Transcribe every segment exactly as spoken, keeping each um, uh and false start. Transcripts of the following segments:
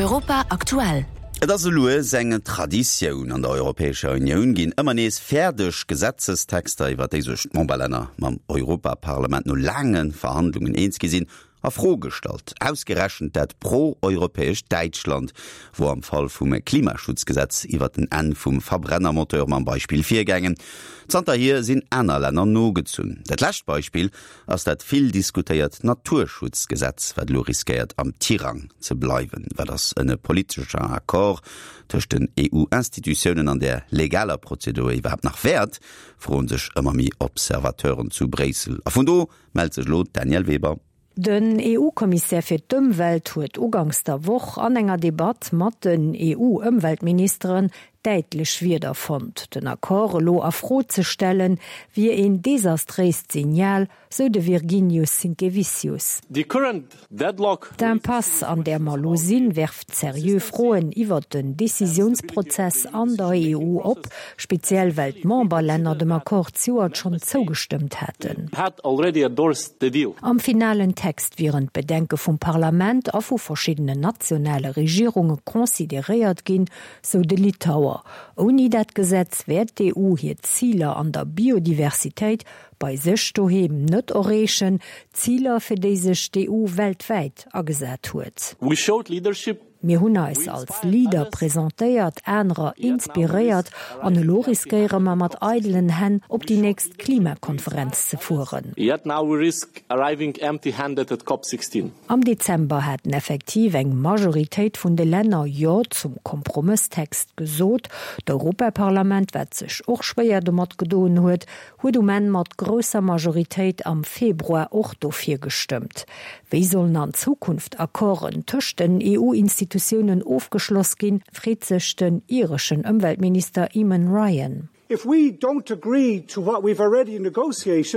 Europa aktuell. Et ass elues eng Traditioun, An der Europäescher Unioun ginn ëmmer nees fäerdeg Gesetzestexter, iwwer déi sech d'Memberlänner mam Europaparlament no laange Verhandlungen eens gi sinn, a Fro gestallt. Ausgerechent dat pro-europäescht Däitschland wor am Fall vum Klimaschutzgesetz iwwer den Enn vum Verbrennermoteur mam Beispill virgaangen. Zanterhier sinn aner Länner nogezunn. Dat lescht Beispill ass dat vill diskutéiert Naturschutzgesetz, wat elo riskéiert am Tirang ze bleiwen. Wat ass en politescher Accord tëscht den EU-Institutiounen an der legaler Prozedur iwwerhaapt nach wäert, froen sech ëmmer méi Observateuren zu Bréissel. A vun do mellt sech elo d'Danièle Weber. Den EU-Kommissär fir d'Ëmwelt huet uganks der Woch an enger Debatt mat den EU-Ëmweltministeren däitlech Wierder fonnt. Den Accord elo a Fro ze stellen, wier een desastréist Signal, sou de Virginijus Sinkevičius. D'Impasse, an där mer elo sinn, werft seriö Froen iwwert den Decisiounsprozess an der EU op, speziell well d'Memberlänner dem Accord zejoert schonn zougestëmmt haten. Am finalen Text wieren d'Bedenke vum Parlament a vu verschiddenen nationale Regierunge consideréiert ginn, sou de Litauer. Ouni dat Gesetz wäert d'EU hir Ziler an der Biodiversitéit bei sech doheem net erreechen, Ziler fir déi sech d'EU weltwäit agesat huet. Mir hunn eis als Leader presentéiert, anerer inspiréiert an elo riskéiere mer mat eidelen Hänn op déi nächst Klimakonferenz ze fueren. Am Dezember haten effektiv eng Majoritéit vun de Länner Jo zum Kompromësstext gesot. D'Europaparlament, wat sech och schwéier domat gedoen huet, huet um Enn mat grousser Majoritéit am Februar och dofir gestëmmt. Wéi sollen an Zukunft Accorden tëscht den EU-Institutiounen ofgeschloss ginn, freet sech den ireschen Ëmweltminister Eamon Ryan.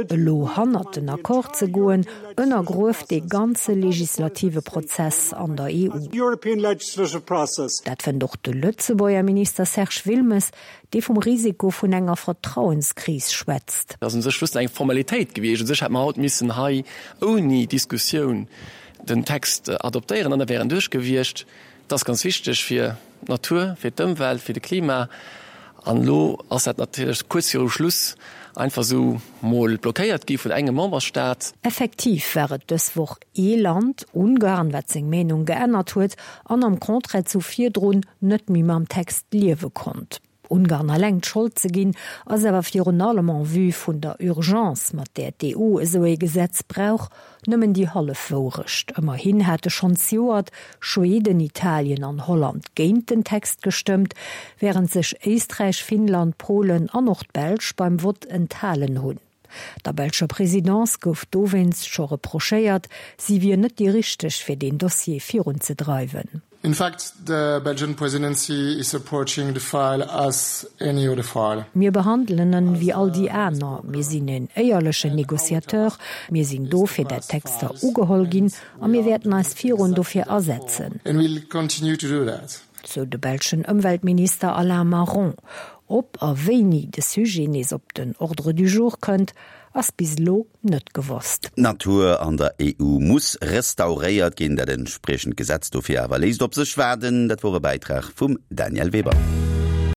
Elo hannert den Accord ze goen, ënnergrueft dee ganze legislative Prozess an der EU. Dat fënnt och de Lëtzebuerger Minister Serge Wilmes, dee vum Risiko vun enger Vertrauenskris schwätzt. Dat ass u sech just eng Formalitéit gewiescht. U sech hätt mer haut missen hei ouni Diskussioun den Text adoptéieren an da wär en duerch gewiescht. Dat ass ganz wichteg fir d'Natur, fir d'Ëmwelt, fir de Klima. An elo ass dat natierlech kuerz viru Schluss einfach esou mol blockéiert gi vun engem Memberstaat. Effektiv war et dës Woch ee Land, Ungarn, wat seng Meenung geännert huet an am Contraire zu virdrun net méi mam Text liewe konnt. Ungarn alleng d'Schold ze ginn, ass awer virun allem en vue vun der Urgence, mat där d'EU esou ee Gesetz brauch, nëmmen déi hallef Wourecht. Ëmmerhin hate schonn zejoert Schweden, Italien an Holland géint den Text gestëmmt, wärend sech Éisträich, Finnland, Polen an och d'Belsch beim Vott enthalen hunn. Der belscher Presidence gouf dowéinst scho reprochéiert, si wier net déi richteg fir deen Dossier virunzedreiwen. In fact, the Belgian presidency is approaching the file as any other file. Mir behandelen en wéi all déi aner. Mir sinn en éierlechen Negociateur. Mir sinn do fir dat d'Texter ugeholl ginn a mir wäerten eis virun dofir asetzen. And we'll continue to do that. Sou de belschen Ëmweltminister Alain Maron. Ob a wéini de Sujet nees op den Ordre du jour kënnt, ass bis elo net gewosst. D'Natur an der EU muss restauréiert ginn. Dat entspriechend Gesetz dofir awer léisst op sech waarden. Dat wor e Bäitrag vum Danièle Weber.